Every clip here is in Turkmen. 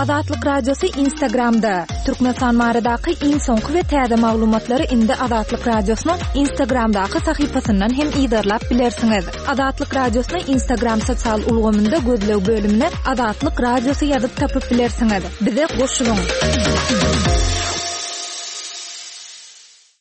Azatlyk Radiosy Instagramda! Türkmenistan baradaky iň soňky we täze maglumatlary indi Azatlyk Radiosynyň Instagramdaky sahypasyndan hem yzarlap bilersiňiz. Azatlyk Radiosyny Instagram sosial ulgamynda gözleg bölümine Azatlyk Radiosy ýazyp tapyp bilersiňiz. Bize goşulyň!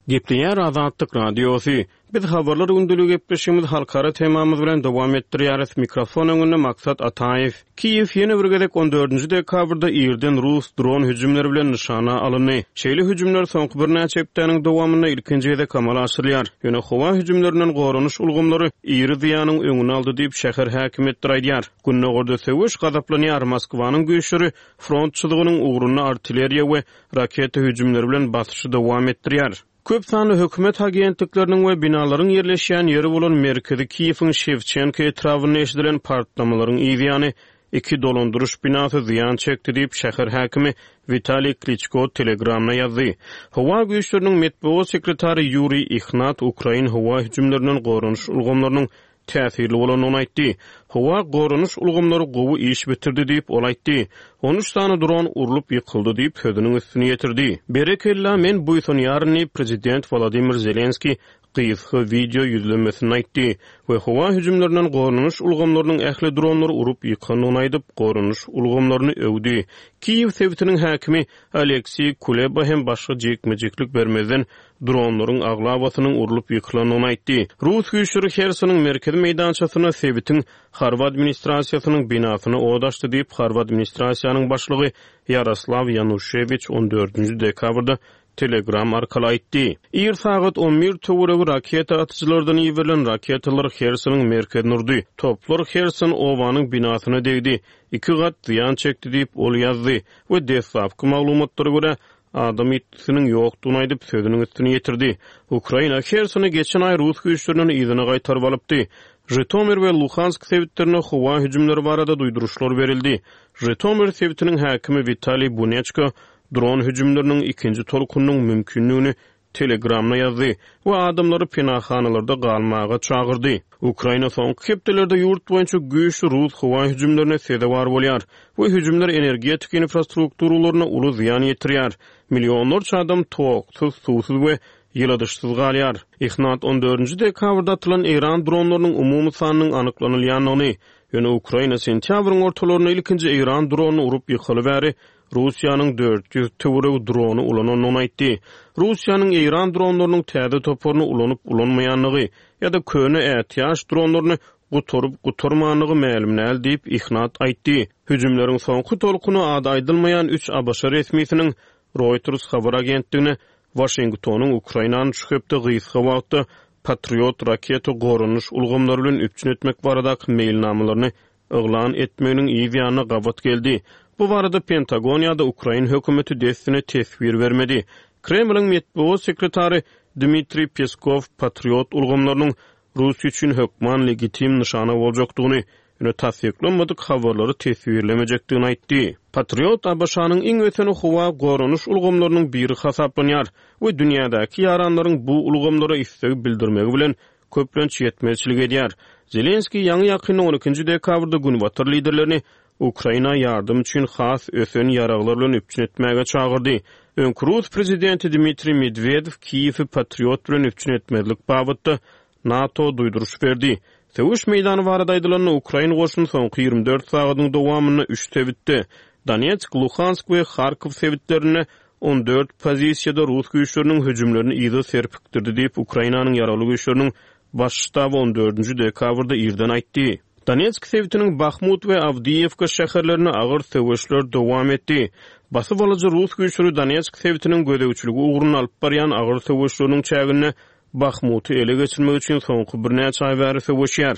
Gepleýär Azatlyk Radiosy. Biz Habarlar gündeligi gepleşigimizi halkara temamyz bilen dowam etdirýäris. Mikrofon öňünde Maksat Ataýew. Kiýew ýene bir gezek on dördünji dekabrda irden rus dron hüjümleri bilen nyşana alyndy. Şeýle hüjümler soňky birnäçe hepdäniň dowamynda ilkinji gezek amala aşyrylýar. Ýöne howa hüjümlerinden goranyş ulgamlary iri zyýanyň öňüni aldy diýip, şäher häkimiýetleri aýdýar. Gündogarda söweş gazaplanýar, Moskwanyň güýçleri front çyzygynyň ugrunda artilleriýa we raketa hüjümleri bilen basyşy dowam etdirýär. Köp sanly hökümet agentlikleriniň we binalaryň ýerleşýän ýeri bolan merkezi Kiýewiň Şewçenko etrabynda eşidilen partlamalaryň yzýany iki dolandyryş binasy zyýan çekdi diýip, şäher häkimi Witaliý Kliçko Telegramda ýazdy. Howa güýçleriniň metbugat sekretary Ýuriý Ihnat ukrain howa hüjümlerinden goranyş ulgamlarynyň täsirli bolandygyny aýtdy. Howa goranyş ulgamlary gowy iş bitirdi diýip, ol aýtdy. On üç sany dron urlup ýykyldy diýip, sözüniň üstüni ýetirdi. Berekella, men buýsanýaryn diýip, prezident Wolodymyr Zelenskiý gysga wideo ýüzlenmesinde aýtdy we howa hüjümlerinden goranyş ulgamlarynyň ähli dronlary urup ýykandygyny aýdyp, goranyş ulgamlaryny öwdi. Kiýew sebitiniň häkimi Oleksiý Kuleba hem başga jikme-jiklik bermezden, dronlaryň aglabasynyň urlup ýykylandygyny aýtdy. Rus güýçleri Hersonyň merkezi meýdançasynda sebitiň harby administrasiýasynyň binasyna ot açdy diýip, harby administrasiýanyň başlygy Ýaroslaw Ýanuşewiç on dördünji dekabrda Telegram arkaly aýtdy. Ir sagat on bir töweregi raketa atyjylardan iberilen raketalar Hersonyň merkezine urdy. Toplar Herson obanyň binasyna degdi, iki gat zyýan çekdi diýip, ol ýazdy we deslapky maglumatlara görä, adam ýitgisiniň ýokdugyny aýdyp, sözüniň üstüni ýetirdi. Ukraina Hersony geçen aý rus güýçlerinden yzyna gaýtaryp alypdy. Žitomir we Luhansk sebitlerine howa hüjümleri barada duýduryşlar berildi. Žitomir sebitiniň häkimi Witaliý Buneçko dron hüjümleriniň ikinji tolkunynyň mümkindigini Telegramda ýazdy we adamlary penahanalarda galmaga çagyrdy. Ukraina soňky hepdelerde ýurt boýunça güýçli rus howa hüjümlerine sezewar bolýar we hüjümler energetika infrastrukturalaryna uly zyýan ýetirýär. Millionlarça adam toksuz, suwsuz we ýyladyşsyz galýar. Ihnat on dördünji dekabrda atylan eýran dronlarynyň umumy sanynyň anyklanylýandygyny, ýöne Ukraina sentýabryň ortalarynda ilkinji eýran dronyny urup ýykaly bäri Russiýanyň 400 töweregi drony ulanandygyny aýtdy. Russiýanyň eýran dronlarynyň täze toparyny ulanyp-ulanmaýandygy ýa-da köne ätiýaç dronlaryny gutaryp-gutarmandygy mälim däl diýip, Ihnat aýtdy. Hüjümleriň soňky tolkuny ady aýdylmaýan üç ABŞ resmisiniň Reuters habar agentligine Waşingtonyň Ukrainany şu hepde gysga wagtda Patriot raketa goranyş ulgamlary bilen üpjün etmek baradaky meýilnamalaryny yglan etmeginiň yz ýanyna gabat geldi. Bu barada Pentagon ýa-da ukrain hökümeti dessine teswir bermedi. Kremliň metbugat sekretary Dmitriý Peskow Patriot ulgamlarynyň Russiýa üçin hökman legitim nyşana boljakdygyny, ýöne tassyklanmadyk habarlary teswirlemejekdigini aýtdy. Patriot ABŞ-nyň iň ösen howa goranyş ulgamlarynyň biri hasaplanýar we dünýädäki ýaranlaryň bu ulgamlara isleg bildirmegi bilen köplenç ýetmezçilik edýär. Zelenskiý ýaňy-ýakynda on ikinji dekabrda günbatar liderlerini Ukraina ýardam üçin has ösen ýaraglar bilen üpjün etmäge çagyrdy. Öňki rus prezidenti Dmitriý Medwedew Kiýewi Patriot bilen üpjün etmezlik babatda NATO duýduryş berdi. Söweş meýdany barada aýdylanda, ukrain goşuny soňky 24 sagadyň dowamynda üç sebitde, Donetsk, Luhansk we Harkow sebitlerinde 14 pozisiýada rus güýçleriniň hüjümlerini yza serpikdirdi diýip, Ukrainanyň Ýaragly Güýçleriniň Baş ştaby on dördünji dekabrda irden aýtdy. Donetsk sebitiniň Bahmut we Awdiýewka şäherlerinde agyr söweşler dowam etdi. Basyp alyjy rus güýçleri Donetsk sebitiniň gözegçiligi ugrunda alyp barýan agyr söweşleriniň çäginde Bahmuty ele geçirmek üçin soňky birnäçe aý bäri söweşýär.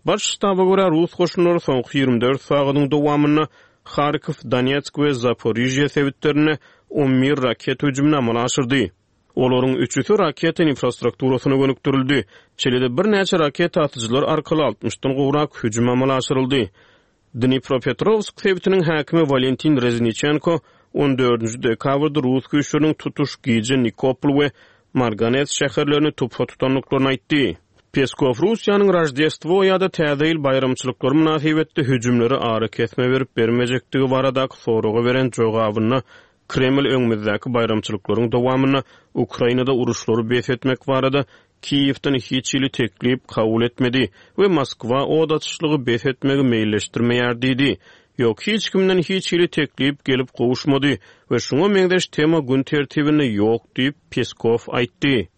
Baş ştaba görä, rus goşunlary soňky 24 sagadyň dowamynda Harkow, Donetsk we Zaporižýe sebitlerinde 11 raketa hüjümini amala aşyrdy. Olaryň üçüsi raketa infrastrukturasyna gönükdirildi. Şeýle-de birnäçe raketa atyjylar arkaly altmyşdan gowrak hüjüm amala aşyryldy. Dnipropetrowsk sebitiniň häkimi Walentin Rezniçenko on dördünji dekabrda rus güýçleriniň tutuş gije Nikopol we Marganets şäherlerini tupa tutandyklaryny aýtdy. Peskow Russiýanyň Roždestwo ýa-da Täze ýyl baýramçylyklary mynasybetli hüjümlere arakesme berip-bermejekdigi baradaky soraga beren jogabynda Kreml öňümizdäki baýramçylyklaryň dowamynda Ukrainada uruşlary bes etmek barada Kiýewden hiç hili teklip kabul etmedi we Moskwa od açyşlygy bes etmegi meýilleşdirmeýär diýdi. Ýok, hiç kimden hiç hili teklip gelip gowuşmady we şuňa meňzeş tema gün tertibinde ýok diýip, Peskow aýtdy.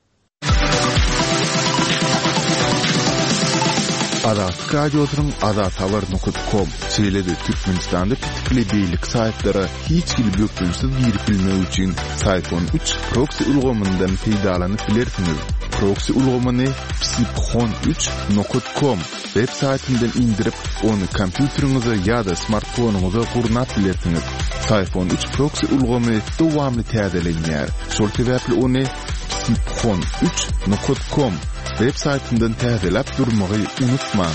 Azatlyk Radiosynyň azathabar nokat kom, şeýle-de Türkmenistanda petikli beýleki saýtlara hiç hili bökdençsiz girip bilmek üçin Syphon üç proksi ulgamyndan peýdalanyp bilersiňiz. Proksi ulgamyny psiphon üç nokat kom web saýtyndan indirip, ony kompýuteriňize ýa-da smartfonyňyza gurnap bilersiňiz. Syphon üç proksi ulgamy dowamly täzelenýär, şol sebäpli ony Psiphon üç nokat kom web saýtyndan täzeläp durmagy unutmaň.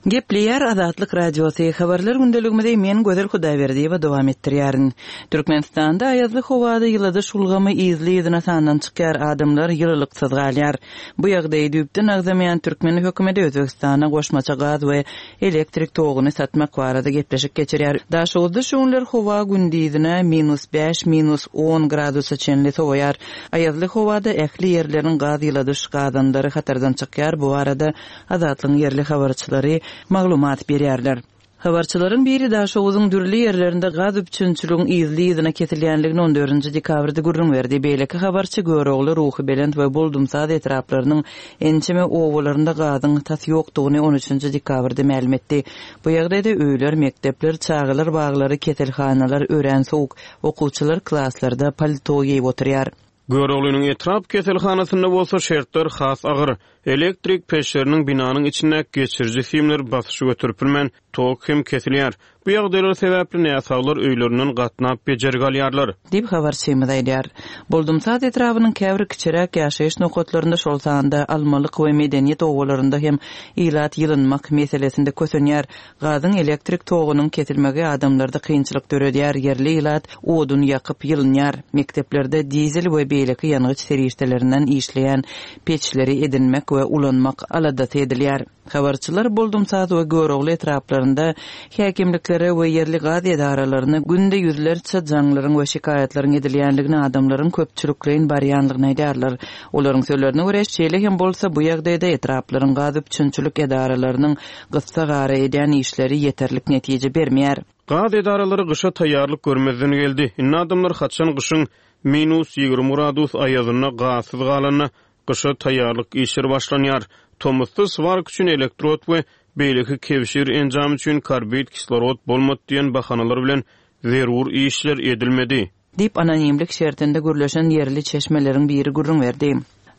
Gepleýär Azatlyk Radiosy, Habarlar gündeligimizi men Gözel Hudaýberdiýewa dowam etdirýärin. Türkmenistanda aýazly howada ýyladyş ulgamy yzly-yzyna sandan çykýar, adamlar ýylylyksyz galýar. Bu ýagdaýy düýpden agzamaýan türkmen hökümeti Özbegistana goşmaça gaz we elektrik toguny satmak barada gepleşik geçirýär. Daşoguzda şu günler howa gündizine minus bäş, minus on gradusa çenli sowaýar. Aýazly howada ähli ýerleriň gaz ýyladyş gazanlary hatardan çykýar, bu barada Azatlygyň ýerli habarçylary maglumat berýärler. Habarçylaryň biri Daşoguzyň dürli ýerlerinde gaz üpjünçiligiň yzly-yzyna kesilýänligini on dördünji dekabrda gürrüň berdi. Beýleki habarçy Görogly, Ruhubelent we Boldumsaz etraplarynyň ençeme obalarynda gazyň tas ýokdugyny on üçünji dekabrda mälim etdi. Bu ýagdaýda öýler, mekdepler, çagalar baglary, keselhanalar örän sowuk, okuwçylar klaslarda palto geýip oturýar. Göroglynyň etrap keselhanasynda bolsa şertler has agyr. Elektrik peçleriniň binanyň içindäki geçiriji simleri basyşy göterip bilmän, tok hem kesilýär. Bu ýagdaýlar sebäpli näsaglar öýlerinden gatnap bejergi alýarlar. Diýip, habarçymyz aýdýar. Boldumsaz etrabynyň käbir kiçiräk ýaşaýyş nokatlarynda, şol sanda Almalyk we Medeniýet obalarynda hem ilat ýylynmak meselesinde kösenýär. Gazyň, elektrik togunyň kesilmegi adamlarda kynçylyk döredýär, ýerli ilat odun ýakyp ýylynýar. Mekdeplerde dizel we beýleki ýangyç serişdelerinden işleýän peçleri edinmek we ulanmak aladasy edilýär. Habarçylar Boldumsaz we Görogly etraplarynda häkimliklere we ýerli gaz edaralaryna günde ýüzlerçe jaňlaryň we şikaýatlaryň edilýänligini, adamlaryň köpçülikleýin barýanlygyny aýdýarlar. Olaryň sözlerine görä, şeýle hem bolsa, bu ýagdaýda etraplaryň gaz üpjünçilik edaralarynyň gyssagara edýän işleri ýeterlik netije bermeýär. Gaz edaralary gyşa taýýarlyk görmezden geldi. Indi adamlar haçan gyşyň minus 20 gradus aýazynda gazsyz galanda, gyşa taýýarlyk işleri başlanýar. Tomusda swarka üçin elektrod we beýleki kebşir enjamy üçin karbid kislorod bolmady diýen bahanalar bilen zerur işler edilmedi. Diýip, anonimlik şertinde gürleşen ýerli çeşmeleriň biri gürrüň berdi.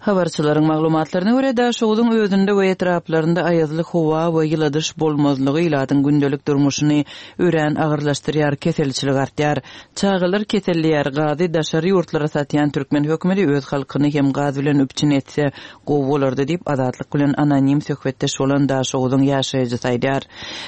Habarçylaryň maglumatlaryna görä, Daşogzuň özünde we etraplarynda aýazly howa we ýyladyş bolmazlygy ilatyň gündelik durmuşyny örän agyrlaşdyrýar, keselçilik artýar. Çagalar keselleýär, gazy daşary ýurtlara satýan türkmen hökümeti öz halkyny hem gaz bilen üpjün etse gowy bolardy diýip, Azatlyk bilen anonim söhbetdeş bolan Daşoguzyň ýaşaýjysy aýdýar.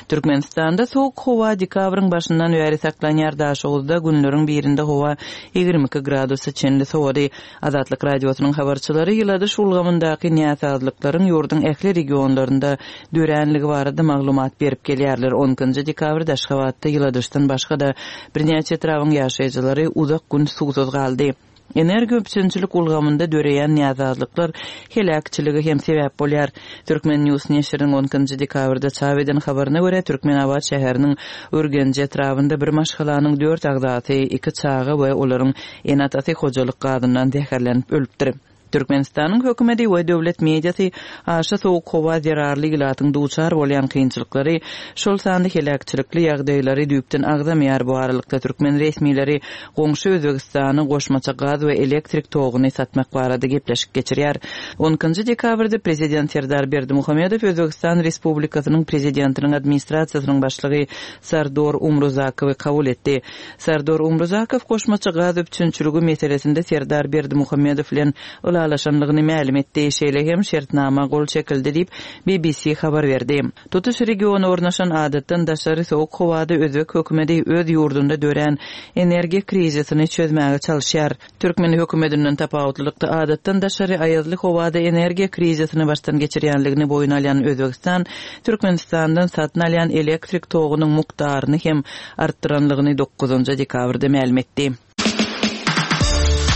Türkmenistanda sowuk howa dekabryň başyndan bäri saklanýar, Daşoguzda günleriň birinde howa 22 gradusa çenli sowady. Azatlyk Radiosynyň habarçylary ýyladyş ulgamyndaky näsazlyklaryň ýurduň ähli regionlarynda döränligi barada maglumat berip gelýärler. On ikinji dekabrda Aşgabatda ýyladyşdan başga-da birnäçe etrabyň ýaşaýjylary uzak gün suwsuz galdy. Energiýa üpjünçilik ulgamynda döreýän näsazlyklar heläkçilige hem sebäp bolýar. Turkmen. News neşiriniň on ikinji dekabrda çap eden habaryna görä, Türkmenabat şäheriniň Ürgenji etrabynda bir maşgalanyň dört agzasy, iki çaga we olaryň Ene-atasy hojalyk gazyndan zäherlenip ölüpdir. Türkmenistanyň hökümeti we döwlet mediasy aşa sowuk howa zerarly ilatyň duçar bolýan kynçylyklary, şol sanda heläkçilikli ýagdaýlary düýpden agzamaýar. Bu aralykda, türkmen resmileri goňşy Özbegistana goşmaça gaz we elektrik toguny satmak barada gepleşik geçirýär. On ikinji dekabrda prezident Serdar Berdimuhamedow Özbegistan Respublikasynyň Prezidentiniň Administrasiýasynyň başlygy Sardor Umruzakowy kabul etdi. Sardor Umruzakow goşmaça gaz üpjünçiligi meselesinde Serdar Berdimuhamedow bilen ylalaşdy. ylalaşandygyny mälim etdi, şeýle hem şertnama gol çekildi diýip, BBC habar berdi. Tutuş regiona ornaşan adatdan daşary sowuk howada özbek hökümeti öz ýurdunda dörän energiýa krizisini çözmäge çalyşýar. Türkmen hökümetinden tapawutlylykda adatdan daşary aýazly howada energiýa krizisini başdan geçirýänligini boýun alýan Özbegistan Türkmenistandan satyn alýan elektrik togunyň mukdaryny hem artdyranlygyny dokuzynjy dekabrda mälim etdi.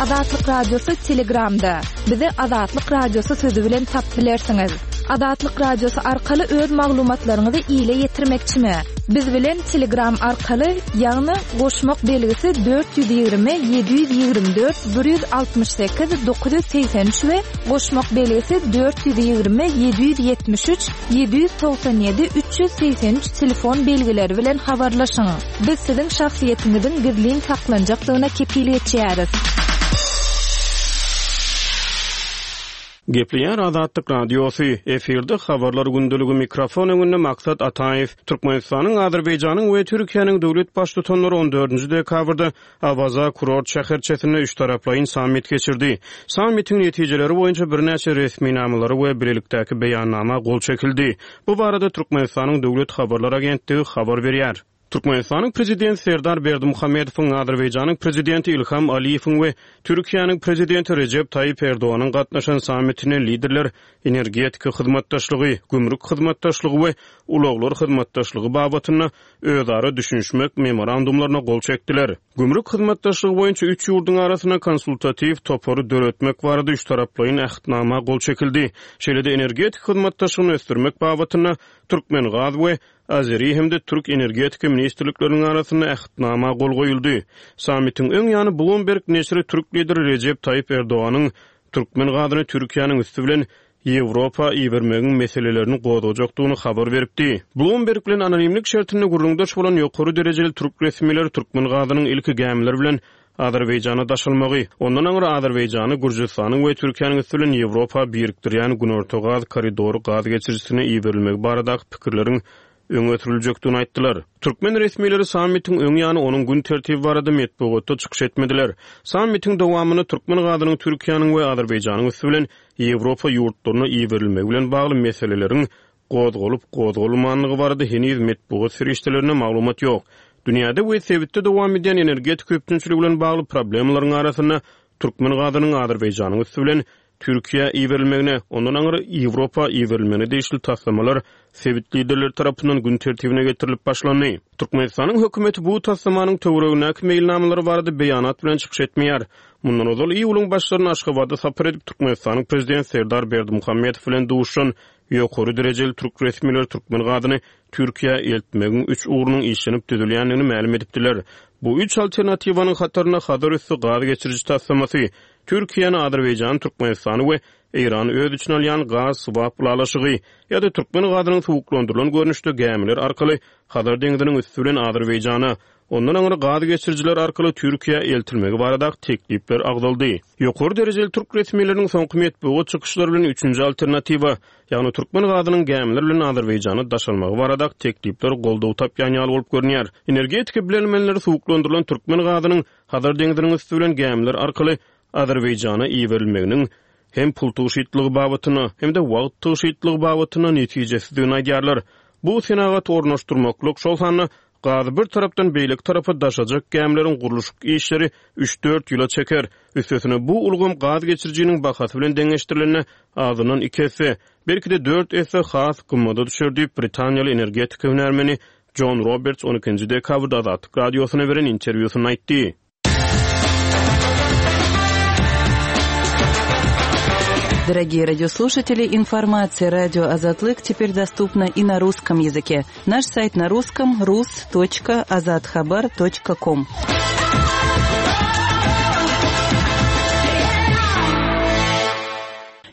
Azatlyk Radiosy Telegramda. Bizi Azatlyk Radiosy sözi bilen tapyp bilersiňiz. Azatlyk Radiosy arkaly öz maglumatlaryňyzy ile ýetirmekçimi? Biz bilen Telegram arkaly, ýagny goşmak belgisi 420 724 168 983 we goşmak belgisi 420 773 797 383 telefon belgileri bilen habarlaşyň. Biz siziň şahsyýetiňiziň gizlin saklanjakdygyna kepil geçýäris. Gepleýär Azatlyk Radiosy, efirde Habarlar gündeligi mikrofon öňünde Maksat Ataýew. Türkmenistanyň, Azerbaýjanyň we Türkiýäniň döwlet Baştutanlary on dördünji dekabrda Awaza kurort şäherçesinde üçtaraplaýyn sammit geçirdi. Sammitiň netijeleri boýunça birnäçe resminamalara we bilelikdäki beýannama gol çekildi. Bu barada Türkmenistanyň Döwlet habarlar agentligi habar berýär. Türkmenistanyň Prezidenti Serdar Berdimuhamedowyň, Azerbaýjanyň Prezidenti Ilham Aliýewiň we Türkiýäniň Prezidenti Rejep Taýyp Erdoganyň gatnaşan sammitinde liderler energetika hyzmatdaşlygy, gümrük hyzmatdaşlygy we ulaglar hyzmatdaşlygy babatynda özara düşünişmek memorandumlaryna gol çekdiler. Gümrük hyzmatdaşlygy boýunça üç ýurduň arasynda konsultatiw topary döretmek barada üçtaraplaýyn Ähtnama gol çekildi. Şeýle-de energetika hyzmatdaşlygyny ösdürmek babatynda Türkmengaz we Azeri hem-de türk energetika ministrlikleriniň arasynda Ähtnama gol goýuldy. Sammitiň öň ýany Bloomberg neşiri türk lideri Rejep Taýyp Erdoganyň türkmen gazyny Türkiýäniň üsti bilen Ýewropa ibermegiň meselelerini gozgajakdygyny habar beripdi. Bloomberg bilen anonimlik şertinde gürrüňdeş bolan ýokary derejeli türk resmileri türkmen gazynyň ilki gämiler bilen Azerbaýjana daşalmagy, ondan aňry Azerbaýjany Gürjüstanyň we Türkiýäniň üsti bilen Ýewropa birikdirýän Günorta gaz koridory gaz geçirijisine iberilmegi baradaky pikirleriň öňe sürüljekdigini aýtdylar. Türkmen resmileri sammitiň öň ýany onuň gün tertibi barada metbugatda çykyş etmediler. Sammitiň dowamynda türkmen gazynyň Türkiýäniň we Azerbaýjanyň üsti bilen Ýewropa ýurtlaryna iberilmegi bilen bagly meseleleriň gozgalyp-gozgalmandygy barada heniz metbugat serişdelerinde maglumat ýok. Dünýäde we sebitde dowam edýän energetika üpjünçiligi bilen bagly problemalaryň arasynda türkmen gazynyň Azerbaýjanyň üsti bilen Türkiýä iberilmegine, ondan aňry Ýewropa iberilmegine degişli taslamalar sebit liderleri tarapyndan gün tertibine getirilip başlandy. Türkmenistanyň hökümeti bu taslamanyň töweregindäki meýilnamalary barada beýanat bilen çykyş etmeýär. Mundan ozal iýulyň başlarynda Aşgabada sapar edip, Türkmenistanyň Prezidenti Serdar Berdimuhamedow bilen duşuşan Ýokary derejeli türk resmileri türkmen gazyny Türkiýä eltmegiň üç ugrunyň işlenip düzülýändigini mälim edipdiler. Bu üç alternatiwanyň hatarynda Hazar üsti gaz geçiriji taslamasy, Türkiýäni, Azerbaýjany, Türkmenistany we Eýrany öz içine alýan gaz swap ylalaşygy ýa-da türkmen gazynyň suwuklandyrylan görnüşde gämiler arkaly Hazar deňziniň üsti bilen Azerbaýjana, ondan aňry gaz geçirijiler arkaly Türkiýä eltilmegi baradaky teklipler agzaldy. Ýokary derejeli türk resmileriniň soňky metbugat çykyşlary bilen üçünji alternatiwa, ýagny türkmen gazynyň gämiler bilen Azerbaýjana daşalmagy baradaky teklipler goldaw tapýan ýaly bolup görünýär. Energetika bilermenleri suwuklandyrylan türkmen gazynyň Hazar deňziniň üsti bilen gämiler arkaly Azerbaýjana iberilmeginiň hem pul tygşytlygy babatynda, hem-de wagt tygşytlygy babatynda netijesizdigini aýdýarlar. Bu senagat ornaşdyrmaklyk, şol sanda gazy bir tarapdan beýleki tarapa daşajak gämileriň gurluşyk işleri üç-dört ýyla çeker. Üstesine, bu ulgam gaz geçirijiniň bahasy bilen deňeşdirilende azyndan iki esse, belki-de dört esse has gymmada düşer diýip, britaniýaly energetika hünärmeni Jon Roberts on ikinji dekabrda Azatlyk Radiosyna beren interwýusynda aýtdy. Дорогие радиослушатели, информация радио Азатлык теперь доступна и на русском языке. Наш сайт на русском rus.azathabar.com.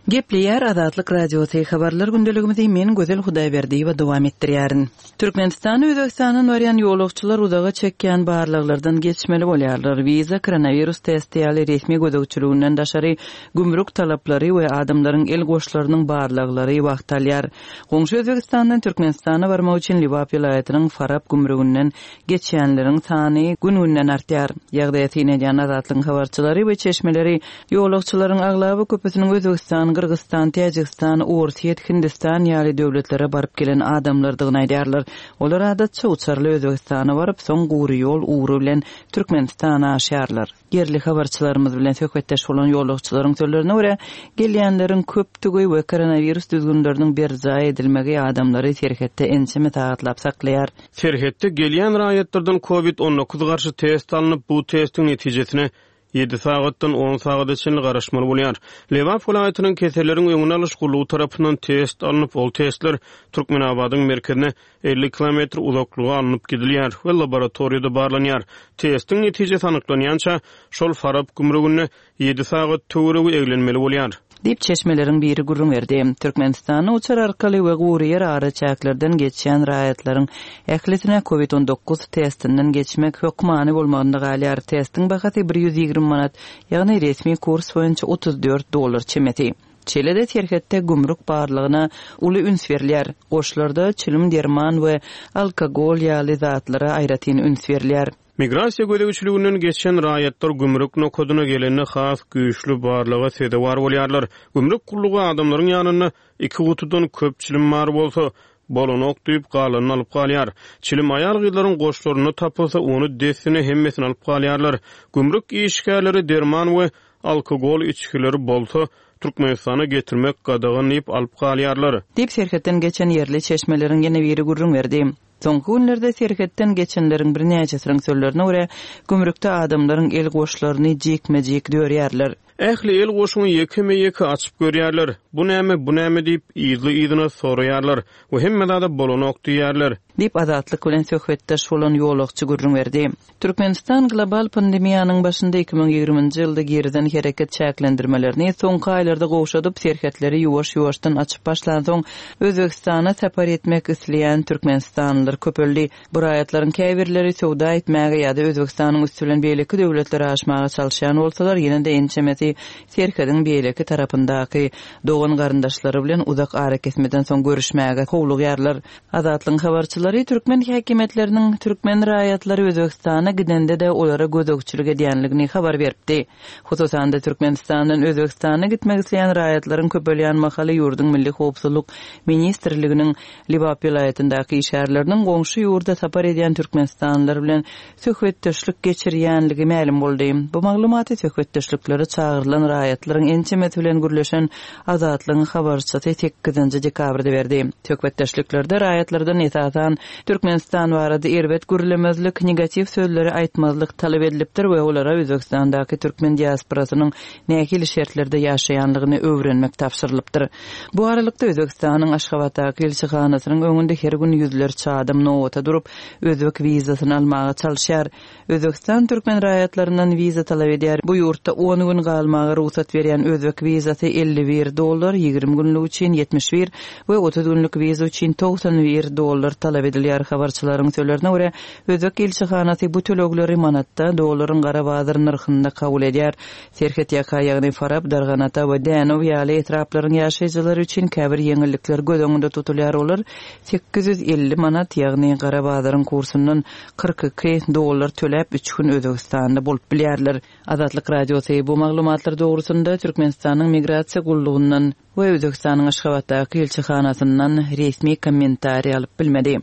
Gepleýär Azatlyk Radiosy, Habarlar gündeligimizi men Gözel Hudaýberdiýewa dowam etdirýärin. Türkmenistana Özbegistandan barýan ýolagçylar uzaga çekýän barlaglardan geçmeli bolýarlar. Wiza, koronawirus testi ýaly resmi gözegçiliginden daşary gümrük talaplary we adamlaryň el goşlarynyň barlaglary wagt alýar. Goňşy Özbegistandan Türkmenistana barmak üçin Lebap welaýatynyň Farap gümrüginden geçýänleriň sany gün-günden artýar. Ýagdaýa syn edýän Azatlygyň habarçylary we çeşmeleri ýolagçylaryň aglaba köpüsiniň Özbegistan, Gyrgyzystan, Täjigistan, Orsýet, Hindistan ýaly döwletlere baryp gelen adamlardygyny aýdýarlar. Olar adatça uçarly Özbegistana baryp, soň gury ýol ugry bilen Türkmenistana aşýarlar. Ýerli habarçylarymyz bilen söhbetdeş bolan ýolagçylaryň sözlerine görä, gelýänleriň köpdügi we koronawirus düzgünleriniň berjaý edilmegi adamlary serhetde ençeme sagatlap saklaýar. Serhetde gelýän raýatlardan covid 19 garşy test alnyp, bu testiň netijesine ýedi sagatdan on sagada çenli garaşmaly bolýar. Lebap welaýatynyň keselleriň öňüni alyş gullugy tarapyndan test alnyp, ol testler Türkmenabadyň merkezine 50 kilometr uzaklyga alnyp gidilýär we laboratoriýada barlanýar. Testiň netijesi anyklanýança, şol Farap gümrüginde ýedi sagat töweregi eglenmeli bolýar. Diýip, çeşmeleriň biri gürrüň berdi. Türkmenistanda uçar arkaly we gury ýer araçäklerden geçýän raýatlaryň ählisine covid 19 testinden geçmek hökmany bolmagynda galýar. Testiň bahasy 120 manat, ýagny resmi kurs boýunça 34 dollar çemesi. Şeýle-de serhetde gümrük barlagyna uly üns berilýär. Goşlarda çilim, derman we alkogol ýaly zatlara aýratyn üns berilýär. Migrasiýa gözegçiliginden geçen raýatlar gümrük nokadyna gelende has güýçli barlaga sezewar bolýarlar. Gümrük gullugy adamlaryň ýanynda iki gutudan köp çilim bar bolsa, bolanok diýip, galanyny alyp galýar. Çilim aýal-gyzlaryň goşlarynda tapylsa, ony dessine hemmesini alyp galýarlar. Gümrük işgärleri derman we alkogol içgileri bolsa, Türkmenistana getirmek gadagan diýip alyp galýarlar. Diýip, serhetden geçen ýerli çeşmeleriň ýene biri gürrüň berdi. Soňky günlerde serhetden geçenleriň birnäçesiniň sözlerine görä, gümrükde adamlaryň el goşlaryny jikme-jik dörýärler. Ähli el goşuňy ýekeme-ýeke açyp görýärler. Bu näme, bu näme diýip, yzly-yzyna soraýarlar we hemme zada bolanok diýýärler. Diýip, Azatlyk bilen söhbetdeş bolan ýolagçy gürrüň berdi. Türkmenistan global pandemiýanyň başynda 2020-nji ýylda girizen hereket çäklendirmelerini soňky aýlarda gowşadyp, serhetleri ýuwaş-ýuwaşdan açyp başlansoň, Özbegistana sapar etmek isleýän türkmenistanlylar köpeldi. Bu raýatlaryň käbirleri söwda etmäge ýa-da Özbegistanyň üsti bilen beýleki döwletlere aşmaga çalyşýan bolsalar, ýene-de ençemesi serhediň beýleki tarapyndaky dogan-garyndaşlary bilen uzak arakesmeden soň görüşmäge howlugýarlar. Azatlygyň habarçylary türkmen häkimiýetleriniň türkmen raýatlary Özbegistana gidende-de olara gözegçilik edýänligini habar beripdi. Hususan-da, Türkmenistandan Özbegistana gitmek isleýän raýatlaryň köpelýän mahaly ýurduň Milli howpsuzlyk ministrliginiň Lebap welaýatyndaky işgärleriniň goňşy ýurda sapar edýän türkmenistanlylar bilen söhbetdeşlik geçirýänligi mälim boldy. Bu maglumaty söhbetdeşliklere çagyrylan raýatlaryň ençemesi bilen gürleşen Azatlygyň habarçysy sekizinji dekabrda berdi. Söhbetdeşliklerde raýatlardan esasan Türkmenistan barada erbet gürlemezlik, negatiw sözleri aýtmazlyk talap edilipdir we olara Özbegistandaky türkmen diasporasynyň nähili şertlerde ýaşaýanlygyny öwrenmek tabşyrylypdyr. Bu aralykda Özbegistanyň Aşgabatdaky ilçihanasynyň öňünde her gün ýüzlerçe adam nobata durup, özbek wizasyny almaga çalyşýar. Özbegistan türkmen raýatlaryndan wiza talap edýär. Bu ýurtda on gün galmaga rugsat berýän özbek wizasy 51 dollar, 20 günlük üçin 71 we 30 günlük wiza üçin 91 dollar talap edilýär. Habarçylaryň sözlerine görä, özbek ilçihanasy bu tölegleri manatda, dollaryň gara bazar nyrhynda kabul edýär. Serhetýaka, ýagny Farap, Darganata we Dänew ýaly etraplaryň ýaşaýjylary üçin käbir ýeňillikler göz öňünde tutulýar, olar 850 manat, ýagny gara bazaryň kursundan 42 dollar töläp, üç gün Özbegistanda bolup bilýärler. Azatlyk Radiosy bu maglumatlar dogrusynda Türkmenistanyň Migrasiýa gullugyndan we Özbegistanyň Aşgabatdaky ilçihanasyndan resmi kommentariý alyp bilmedi.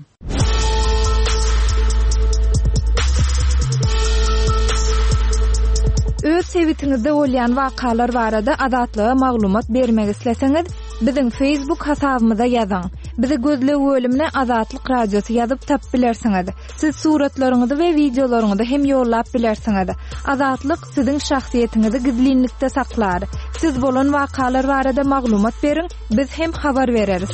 Öz sebitiňizde bolýan wakalar barada Azatlyga maglumat bermek isleseňiz, biziň Facebook hasabymyza ýazyň. Bizi gözleg bölümine Azatlyk Radiosy ýazyp tapyp bilersiňiz. Siz suratlaryňyzy we wideolaryňyzy hem ýollap bilersiňiz. Azatlyk siziň şahsyýetiňizi gizlinlikde saklar. Siz bolan wakalar barada maglumat beriň, biz hem habar bereris.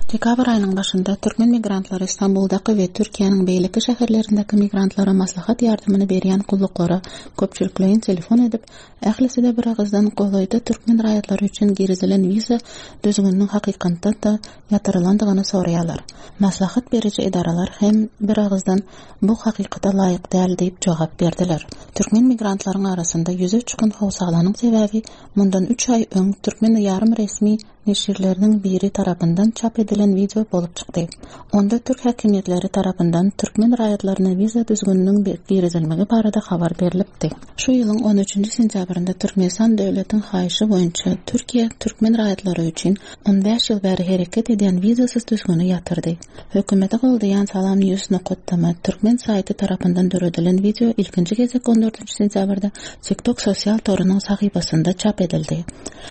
Dekabr aýynyň başynda türkmen migrantlary Stambuldaky we Türkiýäniň beýleki şäherlerindäki migrantlara maslahat ýardamyny berýän gulluklara köpçülikleýin telefon edip, ählisi-de biragyzdan golaýda türkmen raýatlary üçin girizilen wiza düzgüniniň hakykatdan-da ýatyrylandygyny soraýarlar. Maslahat beriji edaralar hem biragyzdan bu hakykata laýyk däl diýip jogap berdiler. Türkmen migrantlaryň arasynda ýüze çykan howsalanyň sebäbi mundan üç aý öň türkmen ýarym resmi neşirleriniň biri tarapyndan çap edilen wideo bolup çykdy. Onda türk häkimiýetleri tarapyndan türkmen raýatlaryna wiza düzgüniniň girizilmegi barada habar berlipdi. Şu ýylyň on üçünji sentýabrynda Türkmenistan döwletiň haýyşy boýunça Türkiýe türkmen raýatlary üçin on bäş ýyl bäri hereket edýän wizasyz düzgüni ýatyrdy. Hökümeti goldaýan Salam News nokat tm türkmen saýty tarapyndan döredilen wideo ilkinji gezek on dördünji sentýabrda TikTok sosial torunyň sahypasynda çap edildi.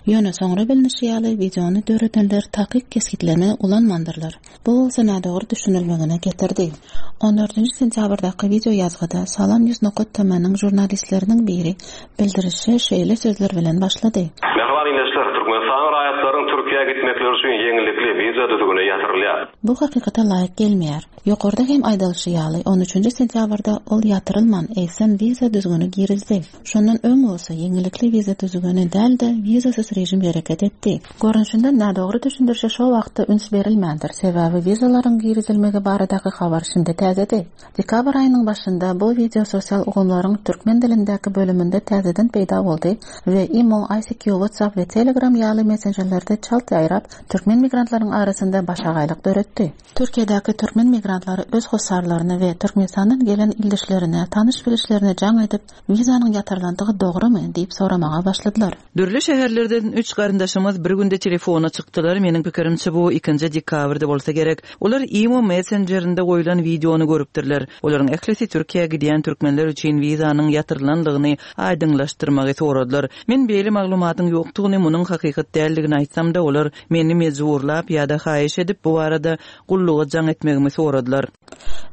Ýöne soňra bilnişi ýaly, wideony döredenler takyk kesgitleme ulanmandyrlar. Bu bolsa nädogry düşünilmegine getirdi. On dördünji sentýabrdaky wideo ýazgyda Salam News nokat tm-niň žurnalistleriniň biri bildirişe şeýle sözler bilen başlady. Mähriban ildeşler, Türkmenistanyň raýatlarynyň Türkiýä gitmekleri üçin ýeňillikli wiza düzgüni ýatyrylýar. Bu hakykata laýyk gelmeýär. Ýokarda hem aýdylyşy ýaly, on üçünji sentýabrda ol ýatyrylman, eýsem wiza düzgüni girizdi. Şondan öň bolsa ýeňillikli wiza düzgüni däl-de, wizasyz režim hereket etdi. Görnüşinden nädogry düşündirişe şo wagtda üns berilmändir, sebäbi wizalaryň girizilmegi baradaky habar şindi täzedi. Dekabr aýynyň başynda bu wideo sosial ulgamlaryň türkmen dilindäki bölüminde täzeden peýda boldy we imo, ICQ, WhatsApp we Telegram ýaly messenjerlerde çalt ýaýrap, türkmen migrantlaryň arasynda başagaýlyk döretdi. Türkiýedäki türkmen migrantlary öz hossarlaryna we Türkmenistandan gelen ildeşlerine, tanyş-bilişlerine jaň edip, wizanyň ýatyrylandygy dogrumy diýip soramaga başladylar. Dürli şäherlerden üç garyndaşymyz bir günde telefona çykdylar, meniň pikirimçe bu ikinji dekabrda bolsa gerek. Olar imo messenjerinde goýlan wideony görüpdirler. Olaryň ählisi Türkiýä gidýän türkmenler üçin wizanyň ýatyrylandygyny aýdyňlaşdyrmagy soradylar. Men beýle maglumatyň ýokdugyny, munuň hakykat däldigini aýtsam-da, olar meni mejburlap ýa-da haýyş edip bu barada gulluga jaň etmegimi soradylar.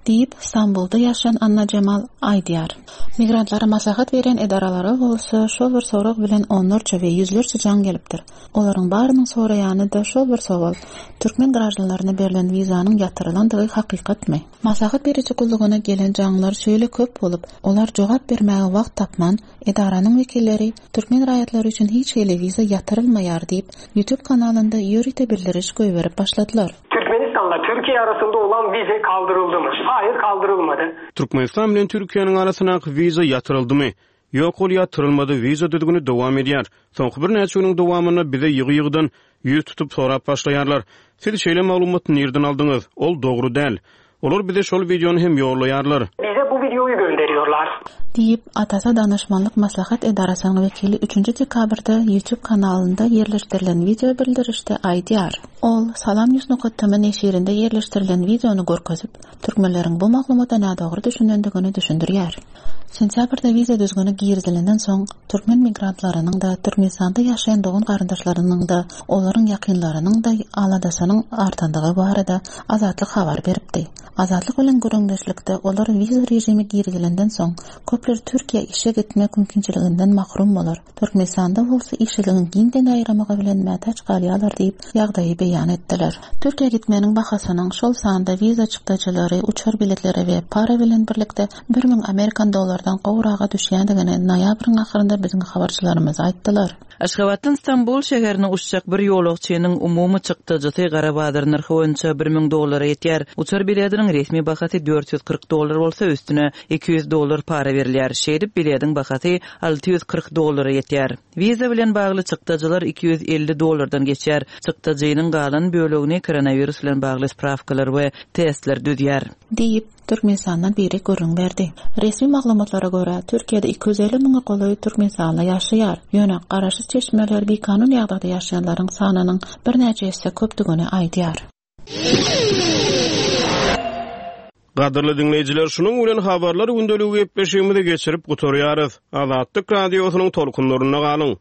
Diýip, Stambulda ýaşaýan Annajemal aýdýar. Migrantlara maslahat berýän edaralara bolsa şol bir sorag bilen onlarça we ýüzlerçe jaň gelipdir. Olaryň barynyň soraýany-da şol bir sowal, türkmen graždanlaryna berlen wizanyň ýatyrylandygy hakykatmy? Maslahat beriji gullugyna gelen jaňlar şeýle köp bolup, olar jogap bermäge wagt tapman, edaranyň wekilleri türkmen raýatlary üçin hiç hili wiza ýatyrylmaýar diýip, YouTube kanalynda ýörite bildiriş goýberip başladylar. Türkmenistanla Türkiye arasynda olan vize kaldırıldy mı? Hayır kaldırılmady. Türkmenistan bilen Türkiýäniň arasyndaky wiza ýatyryldymy? Ýok, ol ýatyrylmady, wiza düzgüni dowam edýär. Soňky birnäçe günüň dowamynda bize ýygy-ýygydan ýüz tutup sorap başlaýarlar. Siz şeýle maglumaty nirden aldyňyz? Ol dogry däl. Olar bize şol wideony hem ýollaýarlar. Bize bu wideoýy gönderiyorlar. Diýip, Atasa danyşmanlyk maslahat edarasynyň wekili üçünji dekabrda YouTube kanalynda ýerleşdirilen wideo bildirişde aýdýar. Ol, Salam News nokat tm neşirinde ýerleşdirilen wideony görkezip, türkmenleriň bu maglumata nädogry düşünendigini düşündirýär. Sentýabrda wiza düzgüni girizilenden soň, türkmen migrantlarynyň-da, Türkmenistanda ýaşaýan dogan-garyndaşlarynyň-da, olaryň ýakynlarynyň-da aladasynyň artandygy barada Azatlyk habar beripdi. Azatlyk bilen gürrüňdeşlikde olar wiza režimi girizilenden soň, köpler Türkiýä işe gitmek mümkinçiliginden mahrum bolar, Türkmenistanda bolsa işsizligiň giňden ýaýramagy bilen mätäç galýarlar diýip, ýagdaýy beýan etdiler. Türkiýä gitmegiň bahasynyň, şol sanda wiza çykdajylary, uçar biletleri we para bilen birlikde 1000 amerikan dollardan gowraga düşýändigini noýabryň ahyrynda biziň habarçylarymyz aýtdylar. Aşgabatdan Stambul şäherine uçjak bir ýolagçynyň umumy çykdajysy gara bazar nyrhy boýunça 1000 dollara ýetýär. Uçar bilediniň resmi bahasy 440 dollar bolsa, üstüne 200 dollar para berilýär. Şeýdip, bilediň bahasy 640 dollara ýetýär. Wiza bilen bagly çykdajylar 250 dollardan geçýär. Çykdajynyň galan bölegini koronawirus bilen bagly sprawkalar we testler düzýär. Diýip, Türkmenistandan biri gürrüň berdi. Resmi maglumatlara görä, Türkiýede 250 müňe golaý türkmenistanly ýaşaýar. Ýöne garaşsyz çeşmeler bikanun ýagdaýda ýaşaýanlaryň sanynyň birnäçe esse köpdügini aýdýar. Gadyrly diňleýjiler, şunuň bilen Habarlar gündeligi gepleşigimizi geçirip gutarýarys. Azatlyk Radiosynyň tolkunlarynda galyň!